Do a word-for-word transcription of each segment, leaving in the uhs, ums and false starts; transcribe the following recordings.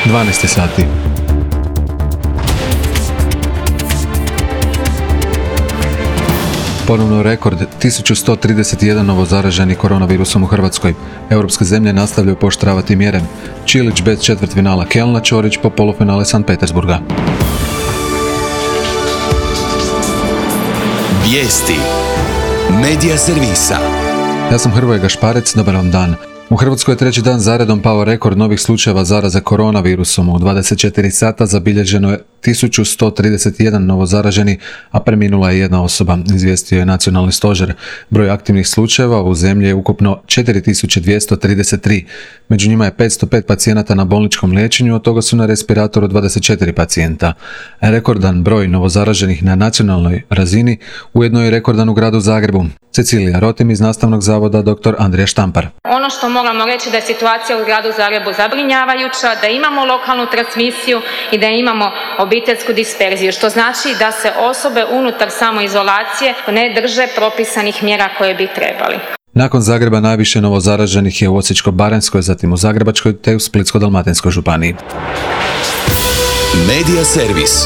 dvanaest sati. Ponovno rekord, tisuću sto trideset jedan novozaraženi koronavirusom u Hrvatskoj. Europske zemlje nastavljaju pooštravati mjere. Čilić bez četvrtfinala Kelna, Ćorić po polufinale Sankt Petersburga. Vijesti Medija servisa. Ja sam Hrvoje Gašparec, dobar vam dan. U Hrvatskoj je treći dan zaredom pao rekord novih slučajeva zaraze koronavirusom. U dvadeset četiri sata zabilježeno je tisuću sto trideset jedan novozaraženi, a preminula je jedna osoba, izvijestio je nacionalni stožer. Broj aktivnih slučajeva u zemlji je ukupno četiri tisuće dvjesto trideset tri. Među njima je petsto pet pacijenata na bolničkom liječenju, od toga su na respiratoru dvadeset četiri pacijenta. Rekordan broj novozaraženih na nacionalnoj razini ujedno je rekordan u gradu Zagrebu. Cecilija Rotim iz Nastavnog zavoda dr. Andrija Štampar. Ono što moramo reći da je situacija u gradu Zagrebu zabrinjavajuća, da imamo lokalnu transmisiju i da imamo obiteljsku disperziju, što znači da se osobe unutar samoizolacije ne drže propisanih mjera koje bi trebali. Nakon Zagreba najviše novozaraženih je u Osječko-baranjskoj, zatim u Zagrebačkoj te u Splitsko-dalmatinskoj županiji. Medija servis.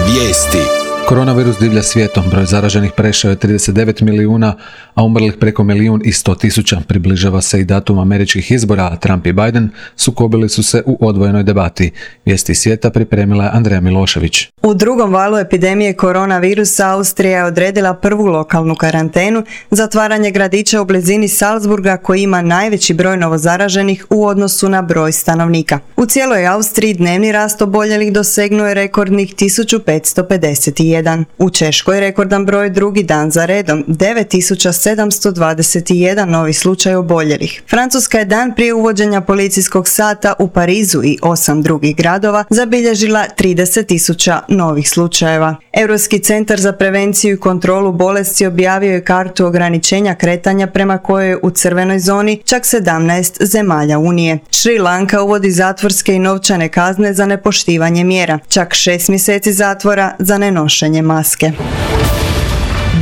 Vijesti. Koronavirus divlja svijetom, broj zaraženih prešao je trideset devet milijuna, a umrlih preko milijun i sto tisuća. Približava se i datum američkih izbora, a Trump i Biden sukobili su se u odvojenoj debati. Vijesti svijeta pripremila je Andreja Milošević. U drugom valu epidemije koronavirusa Austrija je odredila prvu lokalnu karantenu, zatvaranje gradića u blizini Salzburga koji ima najveći broj novozaraženih u odnosu na broj stanovnika. U cijeloj Austriji dnevni rast oboljelih dosegnuo je rekordnih tisuću petsto pedeset jedan. U Češkoj rekordan broj drugi dan za redom, devet tisuća sedamsto dvadeset jedan novi slučaj oboljelih. Francuska je dan prije uvođenja policijskog sata u Parizu i osam drugih gradova zabilježila trideset tisuća novih slučajeva. Europski centar za prevenciju i kontrolu bolesti objavio je kartu ograničenja kretanja prema kojoj je u crvenoj zoni čak sedamnaest zemalja Unije. Šri Lanka uvodi zatvorske i novčane kazne za nepoštivanje mjera, čak šest mjeseci zatvora za nenošenje maske.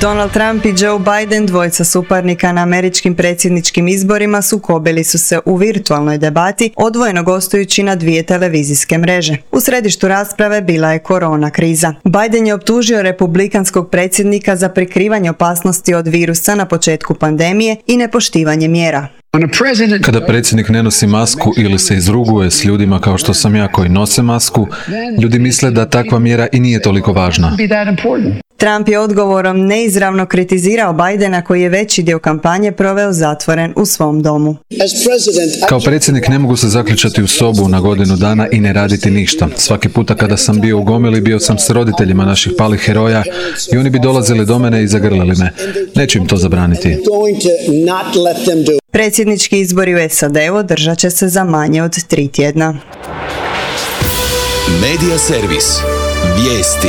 Donald Trump i Joe Biden, dvojica suparnika na američkim predsjedničkim izborima, sukobili su se u virtualnoj debati, odvojeno gostujući na dvije televizijske mreže. U središtu rasprave bila je korona kriza. Biden je optužio republikanskog predsjednika za prikrivanje opasnosti od virusa na početku pandemije i nepoštivanje mjera. Kada predsjednik ne nosi masku ili se izruguje s ljudima kao što sam ja koji nose masku, ljudi misle da takva mjera i nije toliko važna. Trump je odgovorom neizravno kritizirao Bidena koji je veći dio kampanje proveo zatvoren u svom domu. Kao predsjednik ne mogu se zaključati u sobu na godinu dana i ne raditi ništa. Svaki puta kada sam bio u gomili, bio sam s roditeljima naših palih heroja i oni bi dolazili do mene i zagrlili me. Neću im to zabraniti. Predsjednički izbori u S A D-u održat će se za manje od tri tjedna. Medija servis. Vijesti.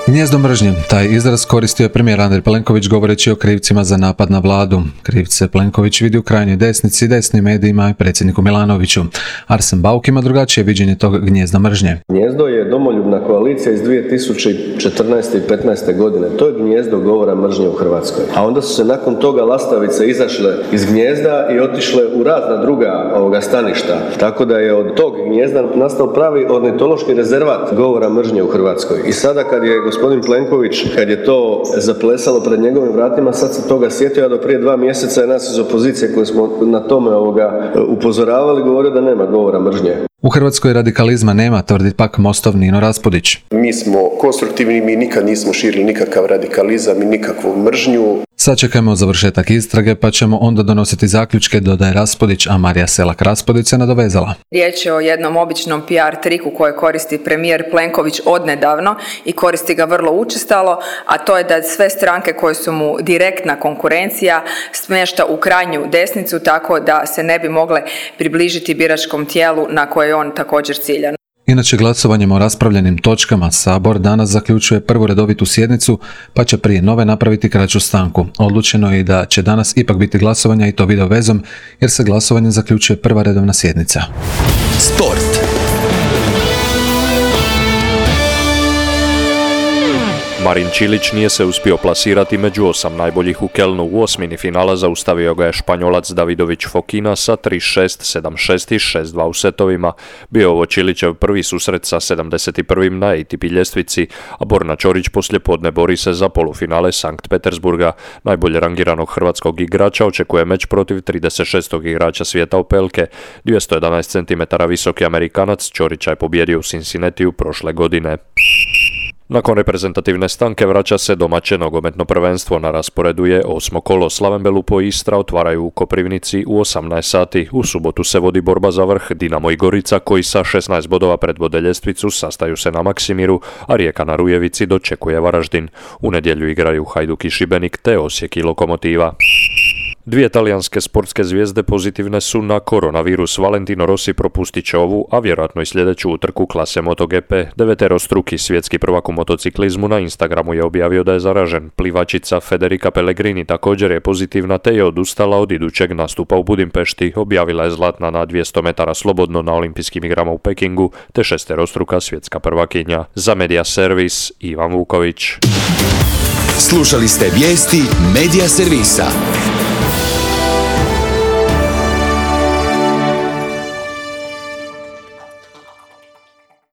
Gnijezdo mržnje. Taj izraz koristio je premijer Andrej Plenković govoreći o krivcima za napad na vladu. Krivce Plenković vidi u krajnjoj desnici, desnim medijima i predsjedniku Milanoviću. Arsen Bauk ima drugačije viđenje tog gnijezda mržnje. Gnijezdo je domoljubna koalicija iz dvije tisuće četrnaeste i petnaeste godine. To je gnijezdo govora mržnje u Hrvatskoj. A onda su se nakon toga lastavice izašle iz gnijezda i otišle u razna druga ovoga staništa. Tako da je od tog gnijezda nastao pravi ornitološki rezervat govora mržnje u Hrvatskoj. I sada kad je gospodin Plenković, kad je to zaplesalo pred njegovim vratima, sad se toga sjetio, a do prije dva mjeseca je nas iz opozicije koji smo na tome ovoga upozoravali, govorio da nema govora mržnje. U Hrvatskoj radikalizma nema, tvrdi pak Mostov Nino Raspudić. Mi smo konstruktivni, mi nikad nismo širili nikakav radikalizam i nikakvu mržnju. Sačekajmo završetak istrage pa ćemo onda donositi zaključke, dodaje Raspudić, a Marija Selak-Raspudić se nadovezala. Riječ je o jednom običnom P R triku koje koristi premijer Plenković odnedavno i koristi ga vrlo učestalo, a to je da sve stranke koje su mu direktna konkurencija smješta u krajnju desnicu tako da se ne bi mogle približiti biračkom tijelu na koje je on također ciljan. Inače, glasovanjem o raspravljenim točkama Sabor danas zaključuje prvu redovitu sjednicu, pa će prije nove napraviti kraću stanku. Odlučeno je i da će danas ipak biti glasovanja i to video vezom, jer se glasovanjem zaključuje prva redovna sjednica. Sport. Marin Čilić nije se uspio plasirati među osam najboljih u Kelnu. U osmini finala zaustavio ga je Španjolac Davidović Fokina sa tri šest, sedam šest i šest dva u setovima. Bio ovo Čilićev prvi susret sa sedamdeset prvim na A T P ljestvici, a Borna Ćorić poslijepodne bori se za polufinale Sankt Petersburga. Najbolje rangiranog hrvatskog igrača očekuje meč protiv trideset šestog igrača svijeta Opelke. dvjesto jedanaest centimetara visoki Amerikanac Ćorića je pobjedio u Cincinnatiju prošle godine. Nakon reprezentativne stanke vraća se domaće nogometno prvenstvo. Na rasporedu je osmo kolo. Slaven Belupo i Istra otvaraju u Koprivnici u osamnaest sati. U subotu se vodi borba za vrh. Dinamo i Gorica, koji sa šesnaest bodova predvode ljestvicu, sastaju se na Maksimiru, a Rijeka na Rujevici dočekuje Varaždin. U nedjelju igraju Hajduk i Šibenik te Osijek i Lokomotiva. Dvije talijanske sportske zvijezde pozitivne su na koronavirus. Valentino Rossi propustit će ovu, a vjerojatno i sljedeću utrku klase MotoGP. Deveterostruki svjetski prvak u motociklizmu na Instagramu je objavio da je zaražen. Plivačica Federica Pellegrini također je pozitivna te je odustala od idućeg nastupa u Budimpešti. Objavila je zlatna na dvjesto metara slobodno na olimpijskim igrama u Pekingu te šesterostruka svjetska prvakinja. Za Media Servis, Ivan Vuković. Slušali ste vijesti Media Servisa.